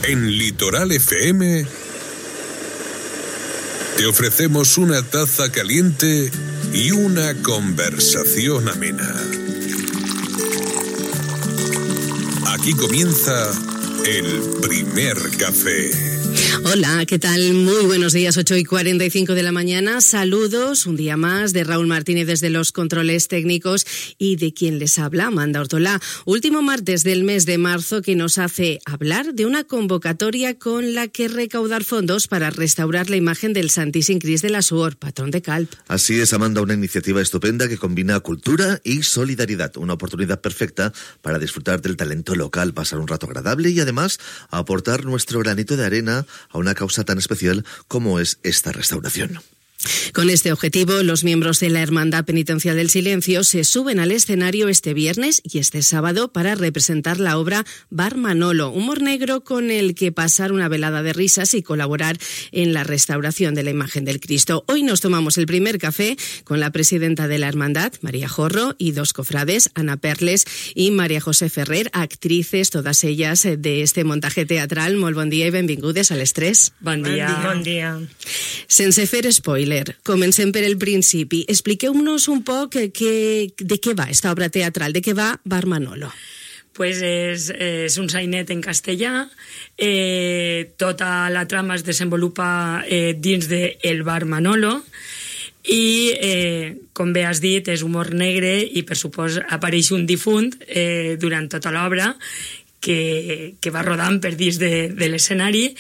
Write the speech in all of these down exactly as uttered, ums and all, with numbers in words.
En Litoral F M te ofrecemos una taza caliente y una conversación amena. Aquí comienza el primer café. Hola, ¿qué tal? Muy buenos días, ocho y cuarenta y cinco de la mañana. Saludos, un día más, de Raúl Martínez desde los controles técnicos y de quien les habla, Amanda Ortolá. Último martes del mes de marzo que nos hace hablar de una convocatoria con la que recaudar fondos para restaurar la imagen del Santíssim Crist de la Suor, patrón de Calp. Así es, Amanda, una iniciativa estupenda que combina cultura y solidaridad. Una oportunidad perfecta para disfrutar del talento local, pasar un rato agradable y además aportar nuestro granito de arena a una causa tan especial como es esta restauración. Con este objetivo, los miembros de la Hermandad Penitencial del Silencio se suben al escenario este viernes y este sábado para representar la obra Bar Manolo, humor negro con el que pasar una velada de risas y colaborar en la restauración de la imagen del Cristo. Hoy nos tomamos el primer café con la presidenta de la Hermandad, María Jorro, y dos cofrades, Ana Perles y María José Ferrer, actrices, todas ellas de este montaje teatral. Molt bon dia i benvingudes a les tres. Bon dia. Bon dia. Sense fer spoiler, comencem per el principi. Expliqueu-nos un poc que, de què va esta obra teatral, de què va Bar Manolo. Pues és, és un sainet en castellà, eh, tota la trama es desenvolupa eh, dins de El Bar Manolo i, eh, com bé has dit, és humor negre i per supòs apareix un difunt eh, durant tota l'obra que, que va rodant per dins de, de l'escenari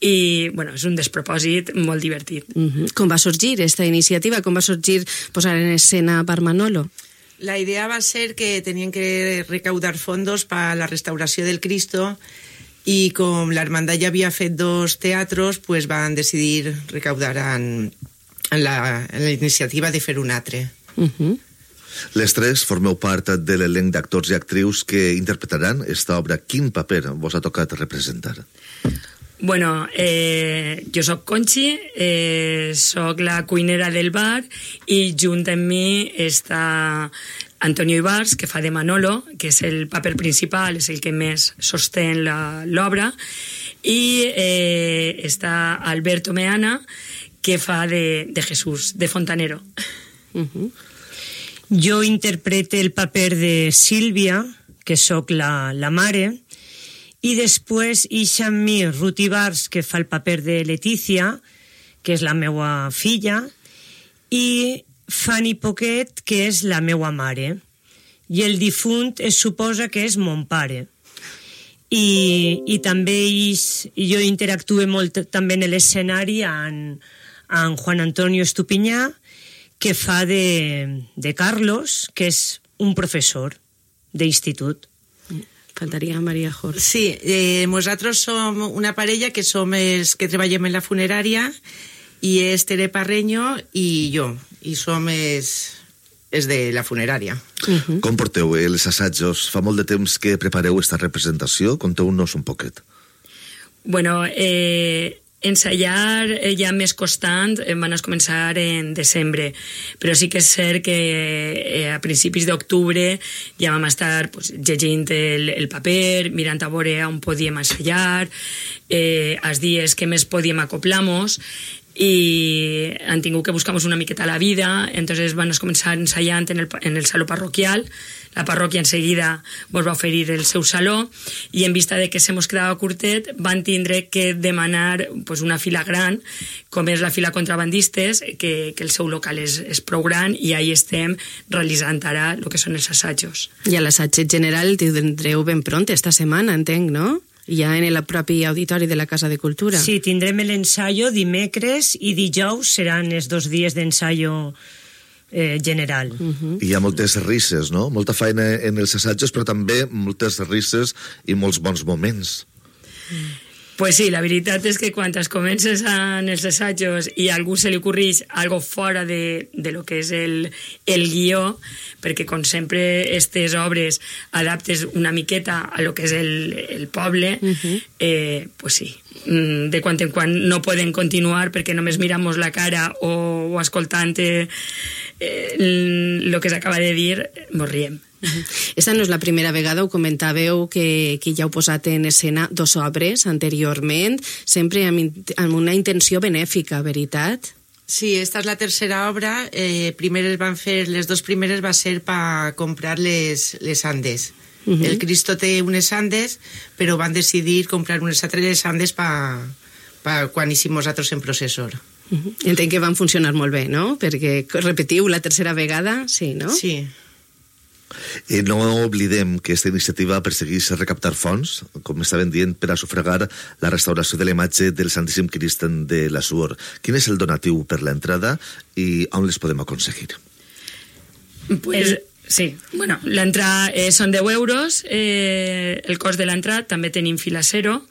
i bueno, és un despropòsit molt divertit. Uh-huh. Com va sorgir esta iniciativa? Com va sorgir posar en escena Bar Manolo? La idea va a ser que tenían que recaudar fondos para la restauración del Cristo y como la hermandad ya había fet dos teatros, pues van decidir recaudar en, en, la, en la iniciativa de fer un altre. Uh-huh. Les tres formeu part de l'elenc d'actors i actrius que interpretaran esta obra. Quin paper vos ha tocat representar? Bueno, eh, jo soc Conchi, eh, soc la cuinera del bar i junt amb mi està Antonio Ibars, que fa de Manolo, que és el paper principal, és el que més sostén l'obra, i eh, està Alberto Meana, que fa de, de Jesús, de Fontanero. Uh-huh. Jo interprete el paper de Sílvia, que sóc la, la mare, i després ixa amb mi Ruth Ibars, que fa el paper de Letícia, que és la meua filla, i Fanny Poquet, que és la meua mare. I el difunt es suposa que és mon pare. I, i també ix, i jo interactue molt també en l'escenari amb, amb Juan Antonio Estupinyà, que fa de, de Carlos, que és un professor d'institut. Faltaria María Jorge. Sí, eh, nosaltres som una parella que som els que treballem en la funerària i és Tere Parreño i jo, i som els, els de la funerària. Uh-huh. Com porteu els assajos? Fa molt de temps que prepareu esta representació? Conteu-nos un poquet. Bueno, eh, ensayar ja més constant van a començar en desembre, però sí que és cert que eh, a principis d'octubre ja vam estar pues, llegint el, el paper, mirant a veure on podíem ensayar, eh, els dies que més podíem acoplar-nos, i han tingut que buscar una miqueta la vida, entonces van a començar ensayant en el, en el saló parroquial. La parròquia enseguida ens va oferir el seu saló i en vista de que se mos quedava curtet van tindre que demanar pues, una fila gran, com és la fila contrabandistes, que, que el seu local és, és prou gran i ahí estem realitzant ara el que són els assajos. I a l'assaig general tindreu ben pront esta setmana, entenc, no? Ja en el propi auditori de la Casa de Cultura. Sí, tindrem l'ensaio dimecres i dijous seran els dos dies d'ensaio eh, general. Uh-huh. Hi ha moltes risses, no? Molta feina en els assajos, però també moltes risses i molts bons moments. Pues sí, la veritat és que quan es comences en els assajos i a algú se li ocorreix algo fora de, de lo que és el, el guió, perquè com sempre aquestes obres adaptes una miqueta a lo que és el, el poble, uh-huh. eh, pues sí, de quan en quan no poden continuar perquè només miramos la cara o, o escoltant eh, el que s'acaba de dir, mos riem. Esta no és la primera vegada, ho comentàveu, que, que ja heu posat en escena dos obres anteriorment, sempre amb, amb una intenció benèfica, veritat? Sí, esta és la tercera obra. Eh, primeres van fer, les dos primeres va ser per comprar les, les andes. Uh -huh. El Cristo té unes andes, però van decidir comprar unes altres andes per pa quan hicim nosaltres en processor. Uh -huh. Entenc que van funcionar molt bé, no? Perquè repetiu la tercera vegada, sí, no? Sí. Eh, no oblidem que aquesta iniciativa persegueix recaptar fons, com estaven dient, per a sufragar la restauració de la imatge del Santíssim Crist de la Suor. Quin és el donatiu per l'entrada i on les podem aconseguir? Pues, sí, bueno, l'entrada eh, són deu euros, eh, el cost de l'entrada, també tenim fila zero,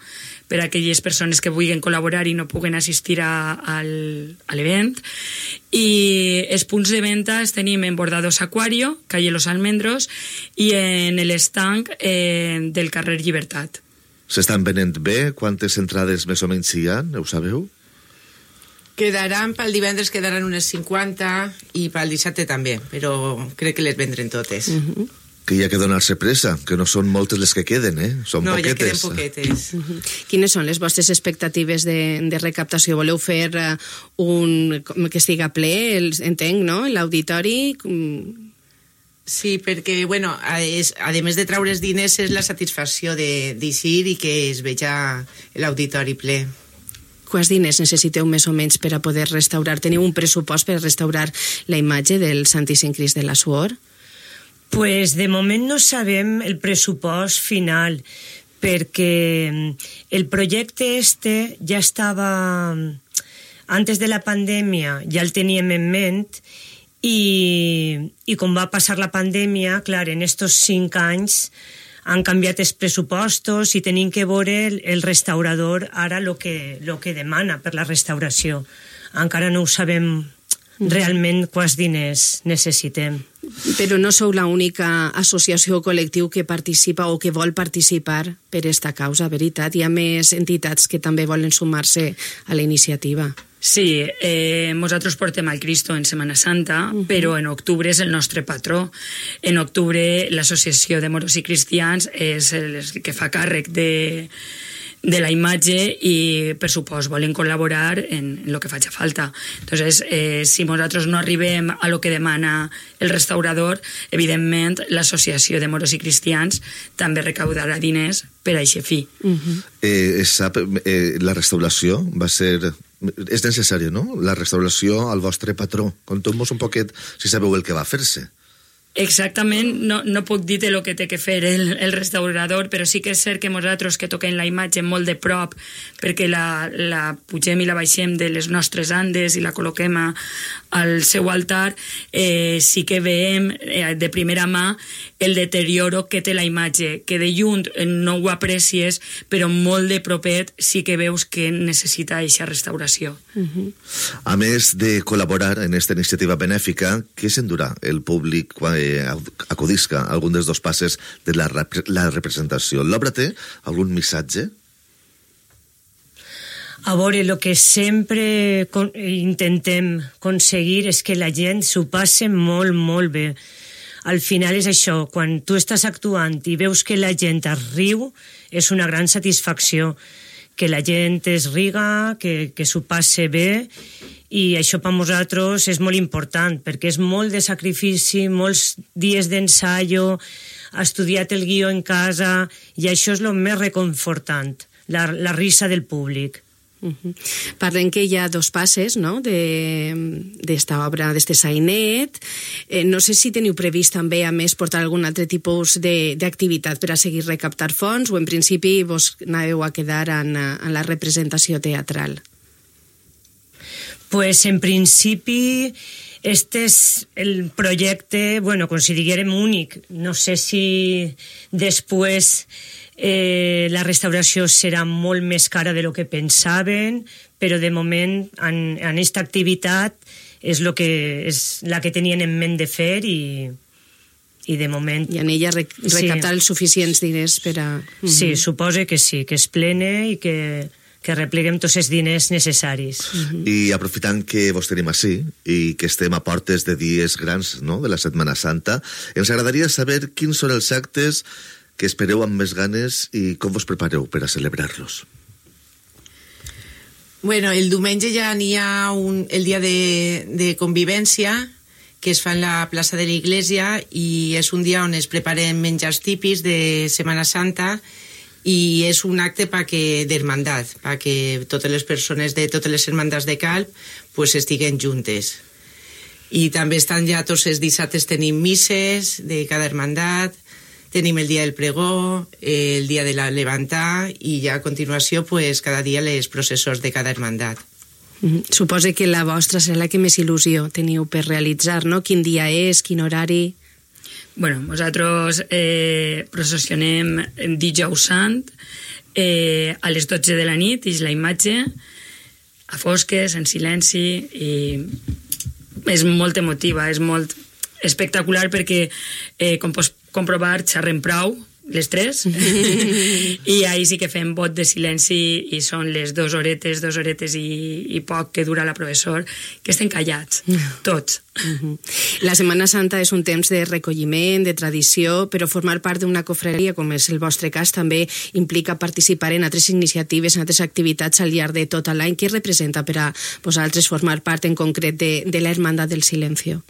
per a aquelles persones que vulguin col·laborar i no puguen assistir a, al, a l'event. I els punts de venda els tenim en Bordados Aquario, calle Los Almendros, i en l'estanc eh, del carrer Llibertat. S'estan venent bé? Quantes entrades més o menys hi ha? Ho sabeu? Quedaran, pel divendres quedaran unes cinquanta i pel dissabte també, però crec que les vendrem totes. Uh-huh. Que hi ha que donar-se pressa, que no són moltes les que queden, eh? Són no, poquetes. Ja queden poquetes. Uh-huh. Quines són les vostres expectatives de, de recaptació? Voleu fer uh, un... que estiga ple, el, entenc, no?, l'auditori? Sí, perquè, bueno, a, és, a més de traure's diners, és la satisfacció d'eixir i que es veja l'auditori ple. Quants diners necessiteu més o menys per a poder restaurar? Teniu un pressupost per restaurar la imatge del Santíssim Crist de la Suor? Pues de moment no sabem el pressupost final, perquè el projecte este ja estava, antes de la pandèmia, ja el teníem en ment, i, i com va passar la pandèmia, clar, en estos cinc anys han canviat els pressupostos i tenim que veure el, el restaurador ara el que, lo que demana per la restauració. Encara no ho sabem realment quants diners necessitem. Però no sou l'única associació o col·lectiu que participa o que vol participar per esta causa, veritat? Hi ha més entitats que també volen sumar-se a la iniciativa. Sí, eh, nosaltres portem el Cristo en Setmana Santa, uh-huh. però en octubre és el nostre patró. En octubre l'Associació de Moros i Cristians és el que fa càrrec de... de la imatge i, per supost, volen col·laborar en, en lo que faci falta. Entonces, eh, si nosaltres no arribem a lo que demana el restaurador, evidentment, l'Associació de Moros i Cristians també recaudarà diners per a aquest fi. Uh-huh. eh, sap, eh, la restauració va ser... És necessari, no?, la restauració al vostre patró. Conteu-nos un poquet si sabeu el que va fer-se. Exactament, no, no puc dir el que té que fer el, el restaurador, però sí que és cert que nosaltres que toquem la imatge molt de prop, perquè la, la pugem i la baixem de les nostres andes i la col·loquem a, al seu altar, eh, sí que veiem eh, de primera mà el deterioro que té la imatge, que de lluny no ho aprecies, però molt de propet sí que veus que necessita aquesta restauració. Uh-huh. A més de col·laborar en aquesta iniciativa benèfica, què s'endurà el públic quan acudisca a algun dels dos passes de la, rep la representació? L'obra té algun missatge? A veure, el que sempre con intentem aconseguir és que la gent s'ho passe molt, molt bé. Al final és això, quan tu estàs actuant i veus que la gent es riu, és una gran satisfacció. Que la gent es riga, que, que s'ho passe bé, i això per nosaltres és molt important, perquè és molt de sacrifici, molts dies d'ensaio, ha estudiat el guió en casa, i això és el més reconfortant, la, la risa del públic. Uh-huh. Parlem que hi ha dos passes, no?, d'esta obra, d'este sainet. Eh, no sé si teniu previst també, a més, portar algun altre tipus d'activitat per a seguir recaptar fons, o en principi vos anàveu a quedar en, en la representació teatral? Pues en principi este és el projecte, bueno, com si diguérem únic. No sé si després eh, la restauració serà molt més cara de lo que pensaven, però de moment en, en esta activitat és, lo que, és la que tenien en ment de fer i, i de moment... I en ella recaptar sí. els suficients diners per a... Uh-huh. Sí, suposo que sí, que és plena i que que repleguem tots els diners necessaris. Mm-hmm. I aprofitant que vos tenim així i que estem a portes de dies grans, no?, de la Setmana Santa, ens agradaria saber quins són els actes que espereu amb més ganes i com vos prepareu per a celebrar-los. Bueno, el diumenge ja n'hi ha un, el dia de, de convivència, que es fa en la plaça de l'Iglésia, i és un dia on es preparen menjars típics de Setmana Santa, i és un acte pa que d'hermandat, perquè totes les persones de totes les hermandats de Calp pues, estiguen juntes. I també estan ja tots els dissabtes, tenim misses de cada hermandat, tenim el dia del pregó, el dia de la levantar, i ja a continuació pues, cada dia les processors de cada hermandat. Mm-hmm. Suposo que la vostra serà la que més il·lusió teniu per realitzar, no? Quin dia és, quin horari? Bueno, nosaltres eh, processionem dijous sant eh, a les dotze de la nit, és la imatge, a fosques, en silenci, i és molt emotiva, és molt espectacular perquè, eh, com pots comprovar, xerrem prou, les tres, i ahir sí que fem vot de silenci i són les dues horetes, dues horetes i, i poc que dura la professor, que estem callats, tots. La Setmana Santa és un temps de recolliment, de tradició, però formar part d'una cofreria, com és el vostre cas, també implica participar en altres iniciatives, en altres activitats al llarg de tot l'any. Què representa per a vosaltres formar part en concret de, de la Hermandad del Silencio?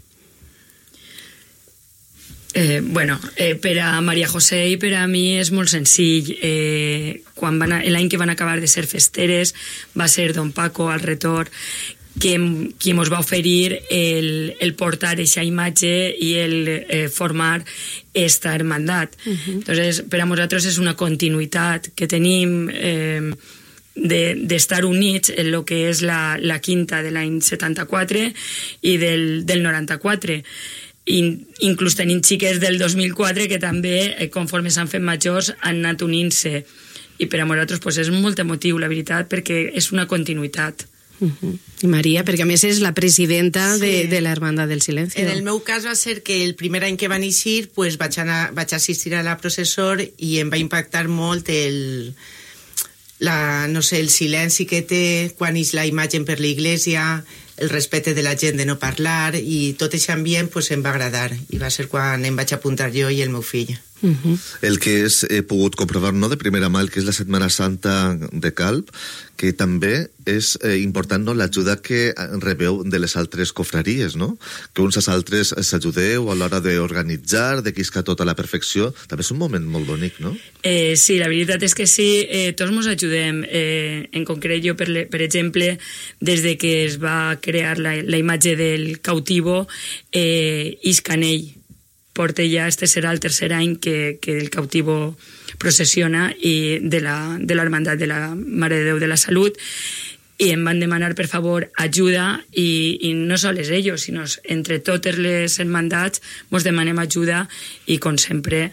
Eh, bueno, eh, per a Maria José i per a mi és molt senzill. Eh, quan van a, l'any que van acabar de ser festeres va ser don Paco al retor que, qui ens va oferir el, el portar aquesta imatge i el eh, formar esta hermandat. Uh-huh. Entonces, per a nosaltres és una continuïtat que tenim eh, d'estar de, units en el que és la, la quinta de l'any setanta-quatre i del, del noranta-quatre. In, inclús tenim xiques del dos mil quatre que també, eh, conforme s'han fet majors, han anat unint-se, i per a nosaltres pues, és molt emotiu, la veritat, perquè és una continuïtat. Uh-huh. I Maria, perquè a més és la presidenta sí. de, de la Hermandad del Silencio. En el meu cas va ser que el primer any que van eixir pues, vaig, anar, vaig assistir a la processor i em va impactar molt el, la, no sé, el silenci que té quan ix la imatge per l'Iglésia, el respecte de la gent de no parlar, i tot aquest ambient pues, em va agradar, i va ser quan em vaig apuntar jo i el meu fill. Uh-huh. El que és, he pogut comprovar, no, de primera mà, el que és la Setmana Santa de Calp, que també és eh, important, no, l'ajuda que rebeu de les altres cofraries, no? Que uns als altres s'ajudeu a l'hora d'organitzar, de quiscar tota la perfecció. També és un moment molt bonic, no? Eh, sí, la veritat és que sí, eh, tots ens ajudem. Eh, en concret, jo, per, le, per exemple, des de que es va crear la, la imatge del cautivo, eh, Iscanell, porta ja, este serà el tercer any que, que el cautivo processiona i de la, de l'Hermandat de la Mare de Déu de la Salut, i em van demanar, per favor, ajuda, i, i no sols ells, sinó entre totes les hermandats ens demanem ajuda, i com sempre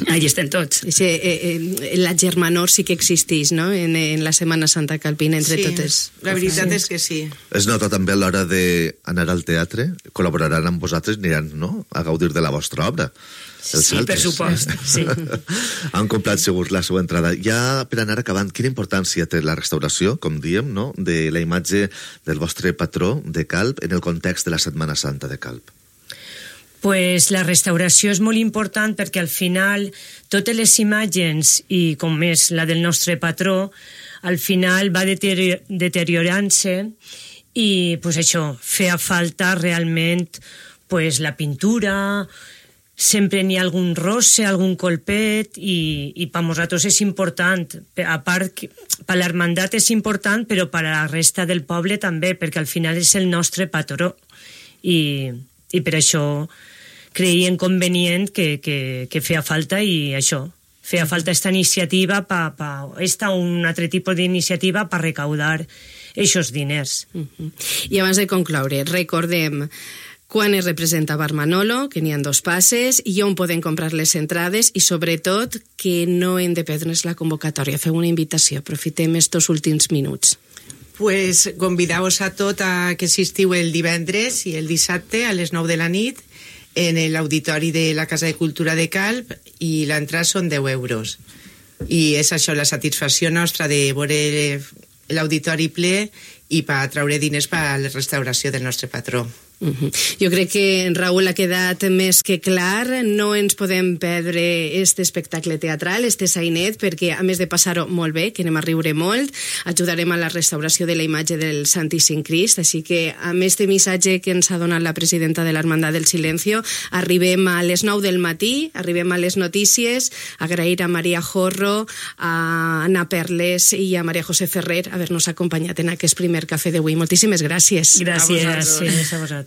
allà estem tots. Sí, eh, eh, la germanor sí que existeix, no?, en, en la Setmana Santa calpina entre sí, totes. La veritat sí. és que sí. Es nota també a l'hora d'anar al teatre, col·laboraran amb vosaltres, aniran, no?, a gaudir de la vostra obra. Els sí, altres. Per supost, sí. Han comprat segur la seva entrada. Ja per anar acabant, quina importància té la restauració, com diem, no?, de la imatge del vostre patró de Calp en el context de la Setmana Santa de Calp? Pues la restauració és molt important perquè al final totes les imatges, i com és la del nostre patró, al final va deteriorant-se i pues això, feia falta realment pues, la pintura, sempre n'hi ha algun rosse, algun colpet, i, i per nosaltres és important. A part, per l'hermandat és important, però per a la resta del poble també, perquè al final és el nostre patró. I, i per això creien convenient que, que, que feia falta, i això, feia falta esta iniciativa, pa, pa, esta un altre tipus d'iniciativa per recaudar aquests diners. Uh-huh. I abans de concloure, recordem quan es representa Bar Manolo, que n'hi ha dos passes, i on poden comprar les entrades, i sobretot que no hem de perdre's la convocatòria. Feu una invitació, aprofitem estos últims minuts. Pues convideu-vos a tot a que assistiu el divendres i el dissabte a les nou de la nit en l'auditori de la Casa de Cultura de Calp, i l'entrada són deu euros. I és això, la satisfacció nostra de veure l'auditori ple i per treure diners per a la restauració del nostre patró. Uh-huh. Jo crec que, Raül, ha quedat més que clar. No ens podem perdre este espectacle teatral, este sainet, perquè a més de passar-ho molt bé, que anem a riure molt, ajudarem a la restauració de la imatge del Santíssim Crist, així que amb este missatge que ens ha donat la presidenta de l'Hermandad del Silencio, arribem a les nou del matí, arribem a les notícies, agrair a Maria Jorro, a Anna Perles i a Maria José Ferrer haver-nos acompanyat en aquest primer cafè d'avui. Moltíssimes gràcies. Gràcies. Gràcies a vosaltres.